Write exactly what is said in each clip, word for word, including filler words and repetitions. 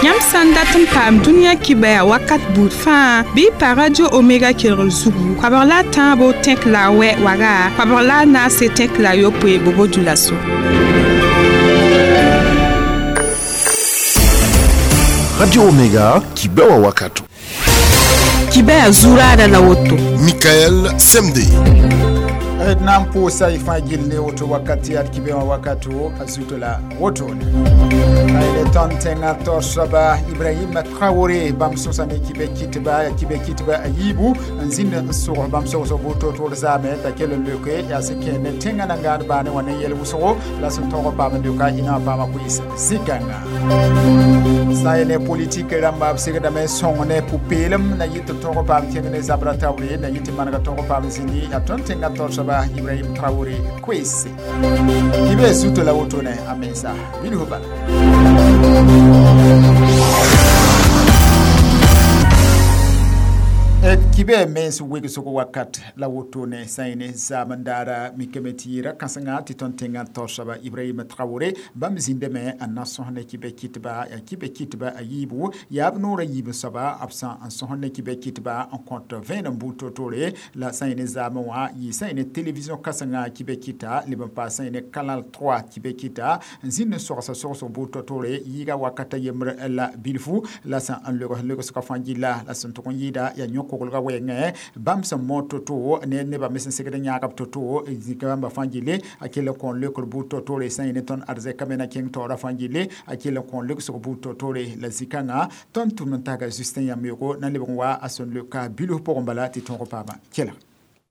Yãmb sã n dat n paam dũniyã kibɛa wakat buud fãa bɩ y pa Radio Omega kelgr zugu koabg la a tãabo tẽk la a wɛ waga koabg la a naase tẽk la a yopoe bobo dioulasso. Radio Omega kibɛwa wakato. Kibɛa zuraada la woto. Michael Semde. D na n pʋʋsa y fãa gill ne woto wakat yaa d kibẽ wã wakato a zuto la wotone ne tõnd tẽngã taoor soaba Ibrahim Traoré bãmb sõsa ne kibɛ kɩtba yaa kibɛ kɩtba a yiibu n zĩnd n sʋgs bãmb sogsg buud toor-toor zaame t'a kell n leoke yaa sẽn kẽer ne tẽngã nangaad baane wã ne yɛl wʋsgo la sẽn tõog n paam n leoka ina wã paama koees zĩ-kãnga sã n ne politik rãmba b segdame n sõng ne pʋ-peelem na yɩ tɩ b tõog n paam kẽng ne zabra taoore na yɩ tɩ manega tõog n paam zĩndi yaa tõnd tẽngã taoor soaba Ibrahim Traoré koeese kibɛ zuto la wotone a mensa bilfu bala. Kibɛ mens wegsg wakat la wotone sã n ne zaam n daara mikame tɩ yɩra kãsenga tɩ tõnd tẽngã taoor soaba Ibrahim Traoré bãmb zĩndame n na sõs ne kibɛ kɩtba yaa kibɛ kɩtba a yiibu yaa b noorã yiib soaba b sã n sõs ne kibɛ kɩtba n kõt vẽenem buud toor-toore la sã n ne zaamẽ wã yɩ sã n ne television kãsenga kibɛ kɩta leb n paas sã n ne Canal trois kibɛ kɩta n zĩnd n sogsa sogsg buud toor-toore yɩɩga wakata yembr la bilfu la sã n legs legsgã fãa gilla la sẽn tʋg n yɩɩda yaa yõ-koglgã wɛɛngẽ bãmb sẽn mood to-to ne nebã me sẽn segd n yãag b to-to zĩka bãmba fãa gille a kell n kõ leokr buud to-toore sã n yẽ ne tõnd arzɛka me na kẽng taoorã fãa gille a kell n kõ legsg buud to-toore la zĩ-kãngã tõnd tʋm n taga Justin Yambeogo na lebg n wa a sẽn leoka bilf pʋgẽ bala tɩ tõog paama kelg.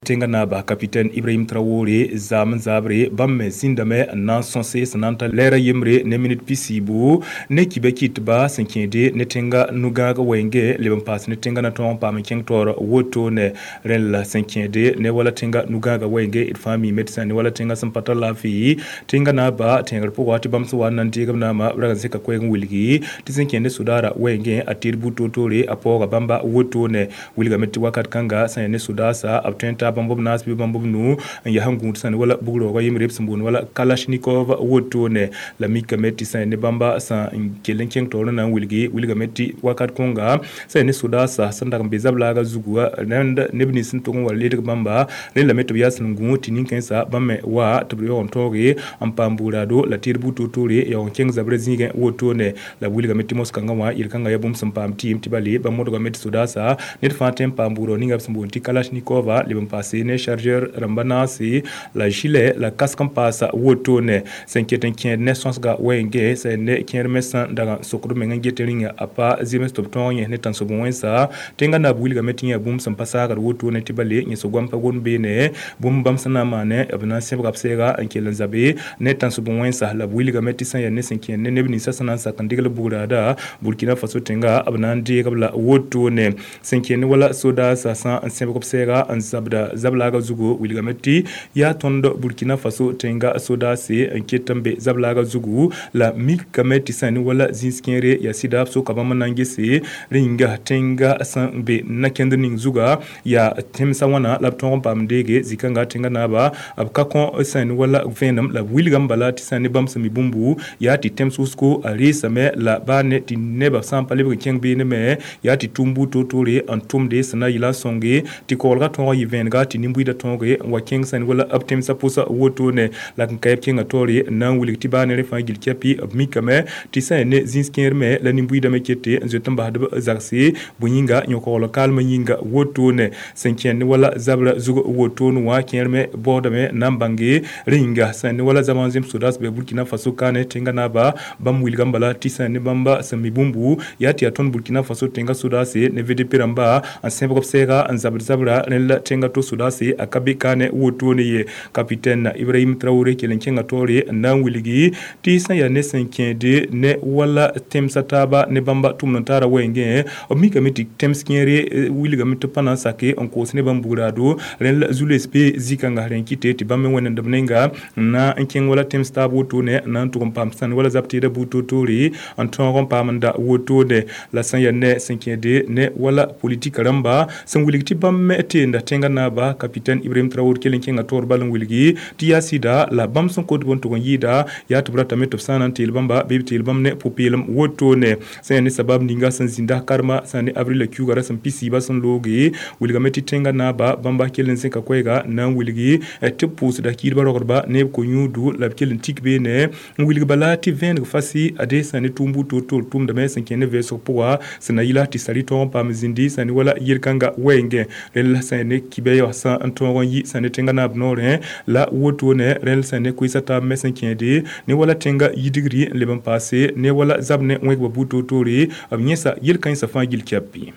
Tẽngã naaba capitaine Ibrahim Traoré zaam n zabre bãmb me zĩndame n na n sõse sẽn na n ta lɛɛra yembre ne minit pisiibu ne kibɛ kɩtba sẽn kẽede ne tẽnga nu-gãag wɛɛngẽ leb n paas ne tẽnga na tõog n paam n kẽng taoor wotone rẽn la sẽn kẽede ne wala tẽnga nu-gãagã wɛɛngẽ d fãa miime tɩ sã ne wala tẽnga sẽn pa tar laafɩ tẽnga naaba tẽegr pʋga tɩ bãmb sẽn wa n na n deeg b naama b rag n seka koɛɛg n wilgi tɩ sẽn kẽed ne sodaara wɛɛngẽ a tɩɩd buud toor-toore a paooga bãmba wotone wilgame tɩ wakat kãnga sã yaa ne sodaasa b tõe n taa bãmb b naas bɩ bãmb b nu n yaa sẽn gũud sã ne wala bugroogã yembre b sẽn boond wala kalashnikov wotone la mikame tɩ sã ne bãmba sã n kell n kẽng taoor n na n wilgi wilgame tɩ wakat kõnga sã ne sodaasa sẽn dag n be zablaaga zugu rẽnd neb nins sẽn tʋg n wa ledg bãmba rẽ lame tɩ b yaa sẽn gũ tɩ nin-kãensã bãmb me wa tɩ b yaoog n taooge n paam bugraado la tɩɩd buud toor-toore yaoog n kẽng zabrã zĩigẽ wotone la b wilgame tɩ mos-kãngã wã yel-kãngã yaa bũmb sẽn paam tɩɩm tɩ bale bãmb modgame tɩ sodaasa ned fãa tõe n paam bugrao ninga b sẽn boond tɩ kalashnikova leb n paas ne chargeur rãmba naase la gilet la casque n paasa wotone sẽn ket n kẽed ne sõsga wɛɛngẽ sã ne kẽer me sẽn dag n sokd meng n get rĩnga a pa zems tɩ b tõog yẽs ne tãnsob wẽnsa tẽngã naab wilgame tɩ yã bũmb sẽn pa saagd wotone tɩ bale yẽs goam pa gom beene bũmb bãmb sẽn na n maane b na n sẽbga b sɛɛga n kell n zabe ne tãnsob wẽnsa la b wilgame tɩ sã n yaa ne sẽn kẽed ne neb ninsã sẽn na n sak n degl bugraada Burkina Faso tẽnga b na n deeg b la wotone sẽn kẽed ne wala sodaasa sã n sẽbg b sɛɛga n zabda zablaaga zugu wilgame tɩ yaa tõnd Burkina Faso tẽnga sodaase n ket n be zablaaga zugu la mikame tɩ sã ne wala zĩis kẽere yaa sɩda b soka bãmb n na n gese rẽ yĩnga tẽnga sẽn be na-kẽndr ning zuga yaa tẽmsã wãna la b tõog n paam deege zĩ-kãnga tẽnga naaba b ka kõ sã ne wala vẽenem la b wilgame bala tɩ sã ne bãmb sẽn mi bũmbu yaa tɩ tẽms wʋsgo a reesame la baa ne tɩ nebã sã n pa lebg n kẽng beene me yaa tɩ tʋm buud toor-toore n tʋmde sẽn na yɩla n sõnge tɩ koglgã tõog n yɩ vẽenega tɩ nin-buiidã tõoge n wa kẽng sã ne wala b tẽmsã pʋsã wotone la n ka b kẽngã taoore n na n wilg tɩ baa ne rẽ fãa gil kɛpɩ b mikame tɩ sã ne zĩis kẽer me la nin-buiidã me kete n zoet n basd b zagse bõe yĩnga yõ-kogl kaalmã yĩnga wotone sẽn kẽnd ne wala zabra zug wotone wã kẽer me baoodame n na n bãnge rẽ yĩnga sã ne wala zama n zẽm sodaas bɩ Burkina Faso kaane tẽngã naaba bãmb wilgame bala tɩ sã ne bãmba sẽn mi bũmbu yaa tɩ yaa tõnd Burkina Faso tẽngã sodaase ne V D P rãmba n sẽbg b sɛɛga n zabd zabra rẽ la tẽngã to sodaase a ka be kaane wotone ye capitaine Ibrahim Traoré kell n kẽngã taoore n na n wilgi tɩ sã n yaa ne sẽn kẽede ne wala tẽmsã taaba ne bãmba tʋmd n taara wɛɛngẽ b mikame tɩ tẽms kẽere wilgame tɩ pa na n sake n koos ne bãmb bugraado rẽ la zu-loees be zĩ-kãnga rẽ n kɩte tɩ bãmb me wẽnemd b nenga n na n kẽng wala tẽms taab wotone n na n tʋg n paam sãn wala zab tɩɩda buud toor-toore n tõog n paam n da wotone la sã n yaa ne sẽn kẽede ne wala politik rãmba sẽn wilg tɩ bãmb me teenda tẽngã naaba naaba capitaine Ibrahim Traoré kell n kẽnga taoor bal n wilgi tɩ yaa sɩda la bãmb sẽn kot bõn tʋg n yɩɩda yaa tɩ b ratame tɩ b sã n na n teel bãmba bɩ b teel bãmb ne pʋ-peelem wotone sẽn yaa ne sabab ninga sẽn zĩnda karma sã ne avril la kiuga ra sẽn pisiiba sẽn looge wilgame tɩ tẽngã naaba bãmba kell n zẽka koɛɛga na n wilgi tɩ b pʋʋsda kiidbã rogdba ne b ko-yũudu la b kell n tik beene n wilg bala tɩ vẽeneg fasi ade sã ne tʋʋm buud toor-toor tʋʋmdame sẽn kẽ ne vɛɛsg pʋga sẽn na yɩla tɩ sari tõog n paam zĩndi sã ne wala yel-kãnga wɛɛngẽ rẽnd la sã ne kibɛ sã n tõog n yi sã ne tẽngã naab noorẽ la wotone rẽnd sã ne koeesa taab me sẽn kẽede ne wala tẽngã yidgri n leb n paase ne wala zab ne wẽgba buud toor-toore b yẽsa yel-kãensã fãa gill kɛpɩ.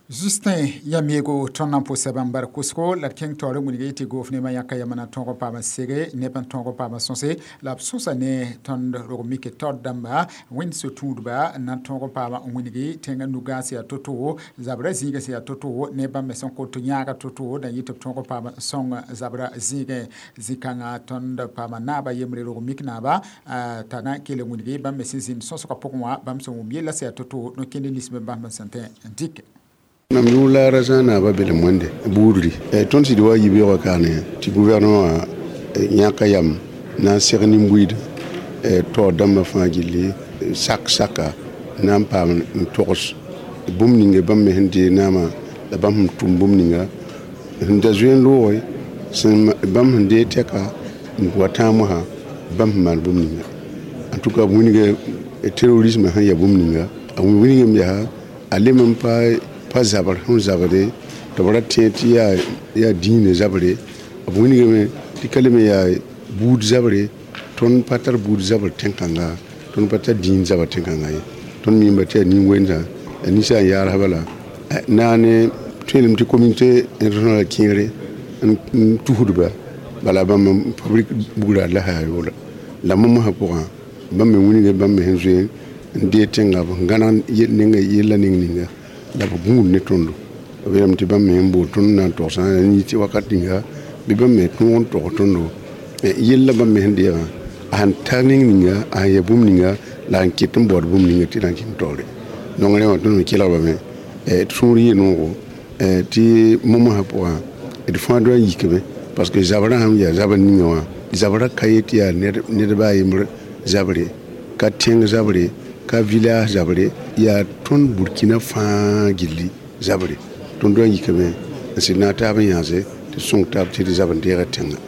Justin Yamiego tõnd na n pʋsa bãmb bar kʋsgo la d kẽng taoor n wilg tɩ goof nemã yãka yamana tõog n paam sege neb n tõog n paam sõse la b sõsa ne tõnd rog mik taoor dãmba wẽnd so-tũudba n na n tõog n paam n wilgi tẽngã nugãag sẽn yaa to-to zabra zĩigã sẽn yaa to-to ne bãmb me sẽn kot yãaga to-to da yɩ tɩ b tõog n paam sõng zabra zĩigẽ zĩ-kãngã tõnd paama naaba yembre rog mik naaba t'a na n kell n wilgi bãmb me sẽn zĩnd sõsgã pʋgẽ wã bãmb sẽn wʋm yella sẽn yaa to-to no-kẽnd nins me bãmb sẽn tẽ n dɩk. Mam yʋʋr la rasã naaba belem wẽnde buudri tõnd sɩd wa yibeoogã kaane tɩ gouvernement yãka yam na n seg nin-buiid taoor dãmbã fãa gilli sak saka na n paam n togs bũmb ninga bãmb me sẽn dee naamã la bãmb sẽn tʋm bũmb ninga sẽn da zoe n looge sẽn bãmb sẽn dee tɛka n wa tãag mosã bãmb sẽn maan bũmb ninga en tout cas wilga terrorisme sẽn yaa bũmb ninga a wilgame yaa a lem n pa pa zabr sẽn zabde tɩ b ra tẽ tɩ yaa yaa dĩinã zabre b wilgame tɩ ka leme yaa buud zabre tõnd pa tar buud zabr tẽn-kãnga tõnd pa tar dĩin zabr tẽn-kãnga ye tõnd miimba tɩ yaa nin-wensã yaa ninsã n yaasba la naane tõelem tɩ communauté internationale kẽere n tusdba bala bãmb n fabrique bugra la yaa yoola la momsã pʋgã bãmb me wilga bãmb me sẽn zoe n dee tẽnga b gãneg nenga yella ning ninga la b gũud ne tõndo b yeelame tɩ bãmb me sẽn bool tõnd na n togsã yɩ wakat ninga bɩ bãmb me tõog n tog tõndo yella bãmb me sẽn deegã a sẽn tar ning ninga a sẽn yaa bũmb ninga la a sẽn ket n baood bũmb ninga tɩ na n kẽng taoore nongrẽ wã tõnd me kelgbame d sũur yɩ noogo tɩ momsã pʋgã d fãa doa n yikame parce que zabrã sãn yaa zabr ninga wã zabrã ka yet tɩ yaa ned baa yembr zabre ka tẽng zabre ka village zabre yaa tõnd Burkina fãa gilli zabre tõnd doa n yikame n sɩd na n taab n yãase tɩ sõng taab tɩ d zab n deega tẽngã.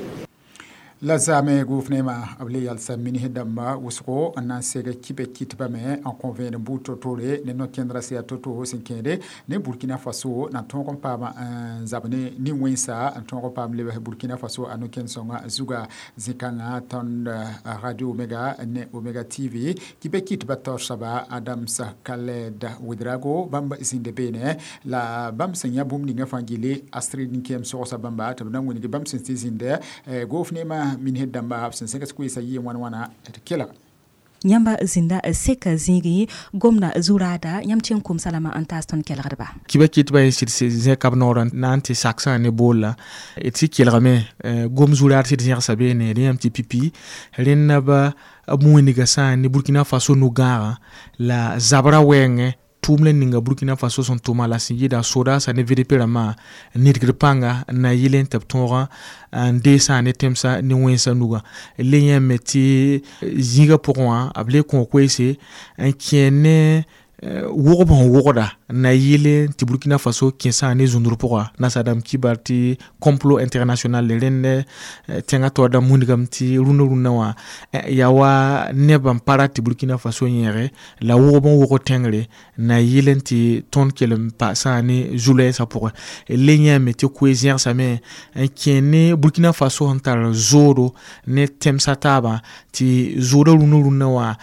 La zaame gouvernement b le yalsa minis dãmba wʋsgo n na n seg kibɛ kɩtbame n kõ vẽenem buud to-tore ne no-kẽndrã sẽn yaa to-to sẽn kẽede ne Burkina Faso na tõog n paam n zab ne nin-wẽnsa n tõog n paam lebs Burkina Faso a no-kẽnd sõngã zuga zĩ-kãngã tõnd Radio Omega ne Omega T V kibɛ kɩtbã taoor soaba Adams Khaled Ouedraogo bãmb zĩnda beene la bãmb sẽn yã bũmb ninga fãa gilli Astrid Nkem sogsa bãmba tɩ b na n wilg bãmb sẽn tɩ zĩnda gouvernement minis dãmba b sẽn sẽgs koeesã yɩ wãn wãna d kelg. Yãmba zĩnda seka zĩigi gomda zuraada yãmb tɩ n kom salama n taas tõnd kelgdba. Kibã kɩtbã ye sɩd zẽka b noorã na n tɩ saksã ne boolla d sɩ kelgame gom zuraad sɩd zẽgsa beene rẽ yãmb tɩ pipi rẽnd b b wĩnga sã ne Burkina Faso nu-gãagã la zabrã wɛɛngẽ tʋʋm la ninga Burkina Faso sẽn tʋma la sẽn yɩɩda sodaasã ne V D P rãmbã n nidgd pãnga n na yɩl n tɩ b tõogã n deesã ne tẽmsã ne wẽnsã nugã le yãme tɩ zĩigã pʋgẽ wã b le kõ koeese n kẽ ne wʋgb sẽn wʋgda n na yɩl tɩ Burkina Faso kẽsã ne zũndr pʋga nasadãmb kibar tɩ complot international rẽnd tẽngã taoor dãmb wĩndgame tɩ rũndã rũndã wã yaa wa neb n pa rat tɩ Burkina Faso yẽege la wʋgb n wʋgd tẽngre n na yɩl n tɩ tõnd kell n paasã ne zu-lɛɛsã pʋgẽ le yãame tɩ koe zẽgsame n kẽ ne Burkina Faso sẽn tar zoodo ne tẽmsã taabã tɩ zooda rũndã rũndã wã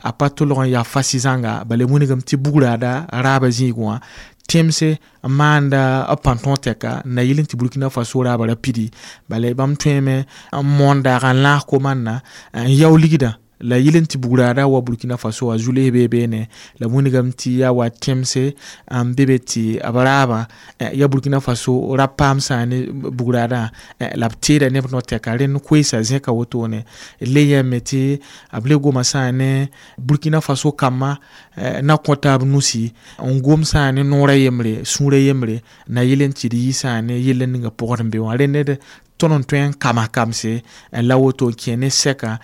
a pa tolg n yaa fasi zãnga bala wĩndgame tɩ bugraada raabã zĩig wã tẽmse n maanda b pãn-tõog tɛka n na yɩl n tɩ Burkina Faso raabã ra pidi bala bãmb tõeme n moon daag n lãas komanna n yao ligdã La yɩl n tɩ bugraada wa Burkina Faso a zu-les bee beene la wĩnigame tɩ yaa wa tẽmse n be be tɩ b raabã ya Burkina Faso ra paam sã ne bugraadã la b teeda neb no-tɛka rẽnd koeesa zẽka wotone le yãme tɩ b le goma sã ne Burkina Faso kambã na kõ taab nusi n gom sã ne noora yembre sũurã yembre na yɩl n tɩ d yi sã ne yell ninga pʋgd n be wã rẽnd ned tõnd n tõe n kama kamse la woto n kẽ ne sɛka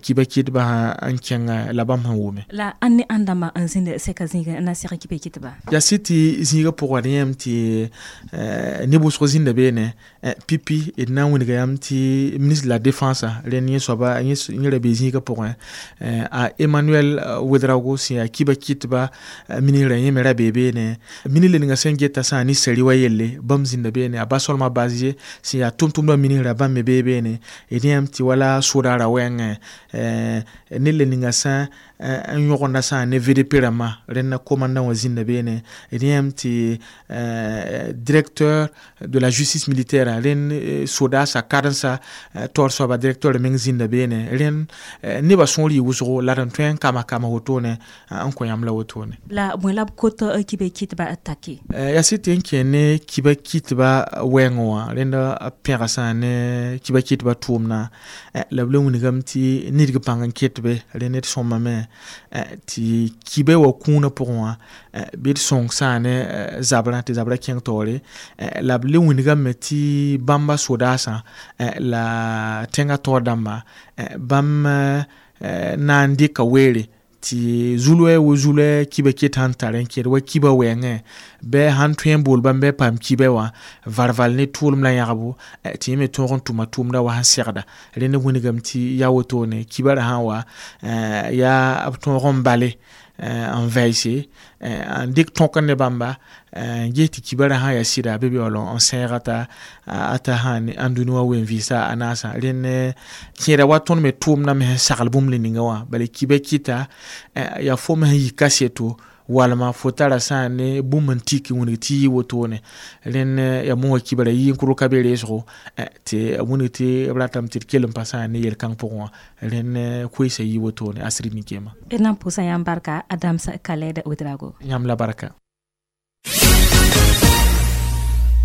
kiba kɩtbã n kẽng la bãmb sẽn wʋme la ãnd ne ãnd dãmba n zĩnd sɛka zĩigẽ n na seg kiba kɩtba yaa sɩd tɩ zĩigã pʋgã d yẽem tɩ neb wʋsg zĩnda beene pipi d na n wilga yãmb tɩ ministre de la défense rẽnd yẽ soaba yẽ ra be zĩigã pʋgẽ a Emmanuel Ouedraogo sẽn yaa kiba kɩtba ministrã yẽ me ra bee beene ministre ninga sẽn geta sã ne sari wa yelle bãmb zĩnda beene a Basolma Bazie sẽn yaa tʋm-tʋmdã ministra bãmb me bee beene d yãmb tɩ wala sodaara wɛɛngẽ ned le ninga sã n yõgenda sã ne V D P rãmbã rẽnda commandant wã zĩnda beene d yãmb tɩ directeur de la justice militaire rẽnd sodaasa karensa taoor soaba directeur meng zĩnda beene rẽnd nebã sõor yɩ wʋsgo la d n tõe n kama kama wotone n kõ yãmb la wotone la bõe la b kot kiba kɩtba take yaa sɩd tɩ n kẽ ne kiba kɩtba wɛɛngẽ wã rẽnda pẽga sã ne kiba kɩtba tʋʋmdã la b le wilgame tɩ nidg pãng n ket be rẽ ned sõmame tɩ kiba wa kũunã pʋgẽ wã bɩ d sõng sã ne zabrã tɩ zabrã kẽng taoore la b le wilgame tɩ bãmba sodaasã la tẽngã taoor dãmba bãmb na n dɩka weere tɩ zulɛ wo zulɛ kiba ket sãn tar n kẽd wa kiba wɛɛngẽ bɩ sãn tõe n bool bãmb bɩ paam kiba wã varval ne tʋʋlem la yãgbo tɩ yẽ me tõog n tʋma tʋʋmda wa sẽn segda rẽnd wilgame tɩ yaa wotone kiba ra sã n wa yaa b tõog n bale n vɛɛse n dɩk tõk ne bãmba n ges tɩ kibara sã yaa sɩda bɩ yaool n sẽega t'a ata sã n dũni wã wen vɩɩsa a naasã rẽnd kẽeda wa tõnd me tʋʋmdã me sẽn sagl bũmb le ninga wã bala kiba kɩta yaa fo me sẽn yi kaseto walma fo tara sã ne bũmb n tik wilg tɩ yɩ wotone rẽnd yaa mosã kibra yɩ n kʋd ka be reesgo tɩ wilg tɩ b ratame tɩ d kell n pa sã ne yel-kãng pʋgẽ wã rẽnd koeesa yɩ wotone asri nin-keema d na n pʋʋsa yãmb barka Adams Khaled Ouedraogo yãmb la barka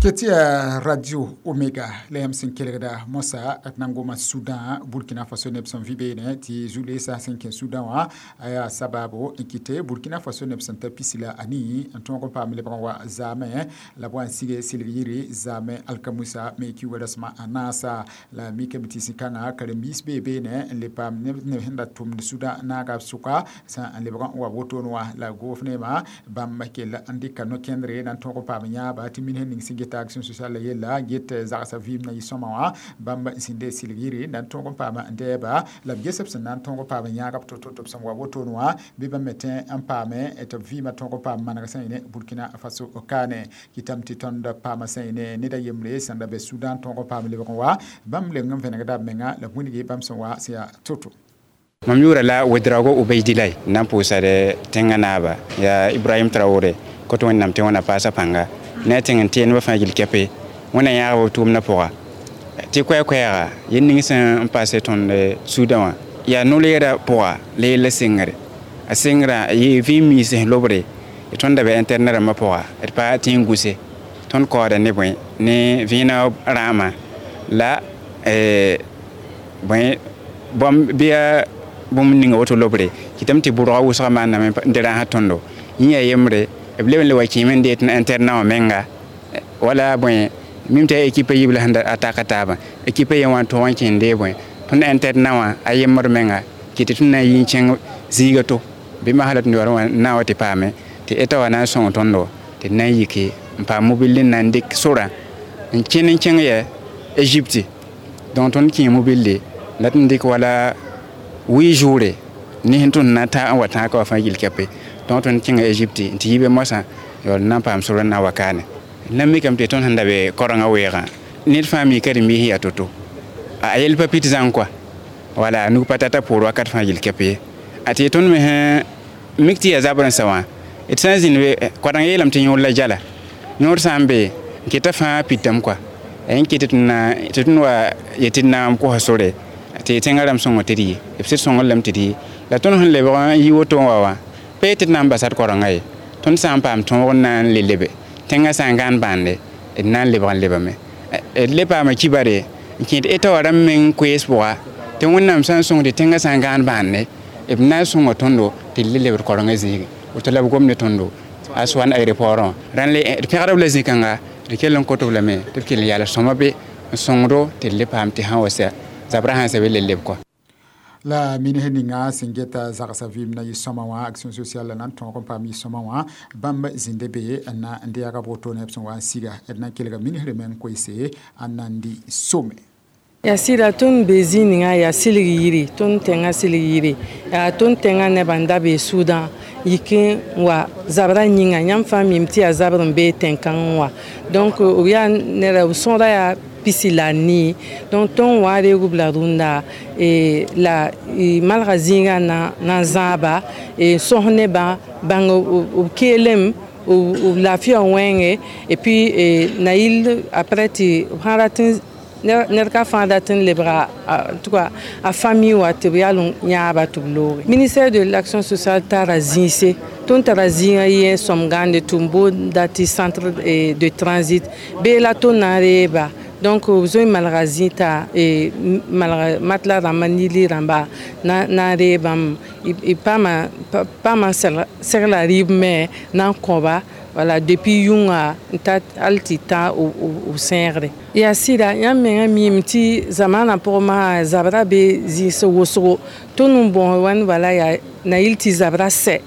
Ketia Radio Omega la yãmb sẽn kelgda mosa d na n goma Sudan Burkina Faso neb sẽn vɩ beene tɩ zu-leesã sẽn kẽ Sudan wã a yaa sabaabo n kɩte Burkina Faso neb sẽn ta pisi la anii n tõog n paam lebg n wa zaamẽ la b wa n sige sɩlg yiri zaamẽ alkamusa me kiuugã rasmã a naasa la mikame tɩ sĩ-kãngã karen-biis bee beene n le paam neb sẽn da tʋmd Sudan naaga b sʋka sã n lebg n wa wotone wã la goof neema bãmb kell n dɩka no-kẽndre na n tõog n paam yãaba tɩ min sẽn ning sẽn geta action sociale yella get zagsa vɩɩm na yɩ sõma wã bãmb sẽn de sɩlg yiri na n tõog n paam n dɛɛba la b ges b sẽn na n tõog n paam yãag b to-to tɩ b sẽn wa wotone wã bɩ bãmb me tẽ n paame tɩ b vɩɩmã tõog n paam maneg sã yẽ Burkina Faso kaane kɩtame tɩ tõnd paama sã yẽ ned a yembre sẽn da be Sudan tõog n paam lebg n wa bãmb leng n vẽnegda b menga la b wilgi bãmb sẽn wa sẽn yaa to-to mam yʋʋra la Ouedraogo Ubeydilay n na n pʋʋsad tẽngã naaba yaa Ibrahim Traoré kot wẽnnaam tɩ wẽna paasa pãnga ne a tẽng n tɩ nebã fãa gill kɛpe wẽna yãagb b tʋʋmdã pʋga tɩ koɛɛ-koɛɛga yel ning sẽn paase tõnd Sudan wã yaa no-leerã pʋga la yella sengre a sengrã yɩ vĩim miis sẽn lobre tõnd da be internet rãmbã pʋga d pa tẽ n gũse tõnd kaooda ne bõe ne vẽenã rãamã la bõe bãmb bɩ yaa bũmb ninga woto lobre kɩtame tɩ bʋrga wʋsgã maanname n dɩ rãasã tõndo yẽ yaa yembre b leb n le wa kẽeme n deet internet wã menga wala bõe mim tɩ yaa équipe yiib la sẽn a taka taabã équipe yen wã n tõog n kẽende bõe tõnd internet wã a yembd menga kɩ tɩ tõnd na n yi n kẽng zĩiga to bɩ masla tɩ yaool wã na n wa tɩ paame tɩ eta wã na n sõng tõndo tɩ d na n yike n paam mobil n na n dɩk sorã n kẽn n kẽng yɛ Égypte donc tõnd kẽe mobilde la tɩ n dɩk wala huit jours ne sẽn tõnd na ta n wa tãag ka wã fãa gill kɛpe donc tõnd kẽnga Égypte n tɩ yi be moasã yaool n na n paam sor n na wa kaane la mikame tɩ tõnd sẽn da be korengã weoogã ned fãa mika rẽmbiis yaa to-to a yell pa pit zãng kɔa wala nug pa tata poor wakat fãa gill kɛp ye a tɩ tõnd me sẽn mik tɩ yaa zabr n sa wã d sã n zĩnd be koadeng yeelame tɩ yõor la jala yõor sã n be n keta fãa pitame kɔa n kɩt tɩ tõnd wa yetɩ d na n kosa sore tɩ tẽngã rãmb sõngo tɩ d yɩ b sɩd sõngr lame tɩ d yɩ la tõnd sẽn lebg n yi woto n wa wã pa tɩ d na n basa d korenga ye tõnd sã n paam tõog n na n le lebe tẽngã sã n gãan bãande d na n lebg n lebame d le paama kibare n kẽed eta wã rãmb meng koees pʋga tɩ wẽnnaam sã n sõng tɩ tẽngã sã n gãan bãande b na n sõnga tõndo tɩ d le lebd korengã zĩigi woto la b gom ne tõndo a soan aéroport wã rãn le d pẽgda b la zĩ-kãnga d kell n kot b lame tɩ b kell n yaals sõma be n sõngdo tɩ d le paam tɩ sã wa sɛ zabrã sãn sɛ be le leb kɔa la minisr ninga sẽn geta zagsa vɩɩm na yɩ-sõma wã action sociale la na n tõog n paam yɩ-sõma wã bãmb zĩnda be n na n deega woto neb sẽn wa n siga d na n kelga minisr meng koeese a Nandi Some yaa sɩda tõnd be zĩig ninga yaa silg yiri tõnd tẽngã silg yiri yaa tõnd tẽngã nebã n da bee sʋʋdã yik n wa zabrã yĩnga yãmb fãa mim tɩ yaa zabr n bee tẽn-kãng wã donc b yaa neda b sõda yaa pisi la nii donc tõnd wa reeg b la rũndã la malga zĩigã na n zãaba n sõs nebã bãng b keelem b laafɩa wẽnge et puis na yɩl après tɩ b sã rat n ned ka fãa dat n lebga en tout cas a famille wa tɩ b yal n yãaba tɩ b looge ministère de l'action sociale tara zĩise tõnd tara zĩigã yẽ sõm gãande tɩ n boonda tɩ centre de transit bee la tõnd na n reeba donc b zoe malga zĩta malga matla rãmba nili rãmba na n ree bãmb y paama paama segla rɩɩb me na n kõba wala depuis yʋnga n ta hal tɩ tã b sẽegre yaa sɩda yãmb mengã miime tɩ zamaanã pʋgẽ masã zabra be zĩis wʋsgo tõnd n bõos wãn bala yaa na yɩl tɩ zabra sɛ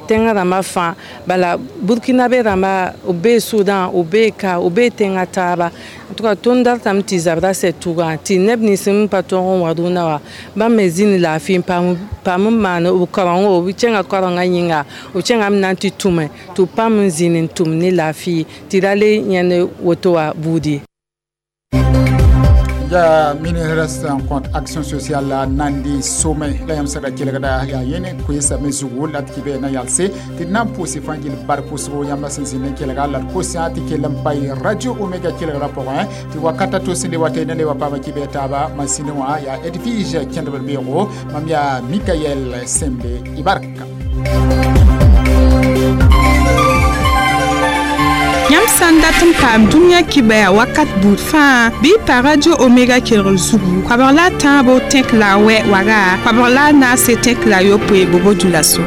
tẽngã rãmbã fãa bala burkinabe rãmba b bee sʋdã b bee ka b bee tẽngã taaba en tout cas tõnd datame tɩ zabra sɛ tʋgã tɩ neb nins n pa tõog n wa rũndã wã bãmb me zĩnd laafɩ n paam n maan b kaorengo b kẽnga kaorengã yĩnga b kẽngame na n tɩ tʋme tɩ b paam n zĩnd n tʋm ne laafɩ tɩ ra le yãnd woto wã buud ye yaa ministre sẽn kõt action sociale la Nandi Some la yãmb sẽn da kelgda yaa yẽne koeesame zugu la d kɩ na yalse tɩ d na n pʋʋs fãa gill bar pʋsgo yãmba sẽn zĩnd n kelga la d kosã tɩ kell n pa radio Omega kelgrã pʋgẽ tɩ wakata to sẽn le wa tɩ ne le wa paama kɩ taaba masĩne wã yaa Edwige kẽndb beoogo mam yaa Mikael Sembe Ibarka Yãmb sã n dat n paam dũniyã kibɛa wakat buud fãa bɩ y pa radio Omega kelgr zugu koabg la a tãabo tẽk la a wɛ waga koabg la a naase tẽk la a yopoe bobo dioulasso.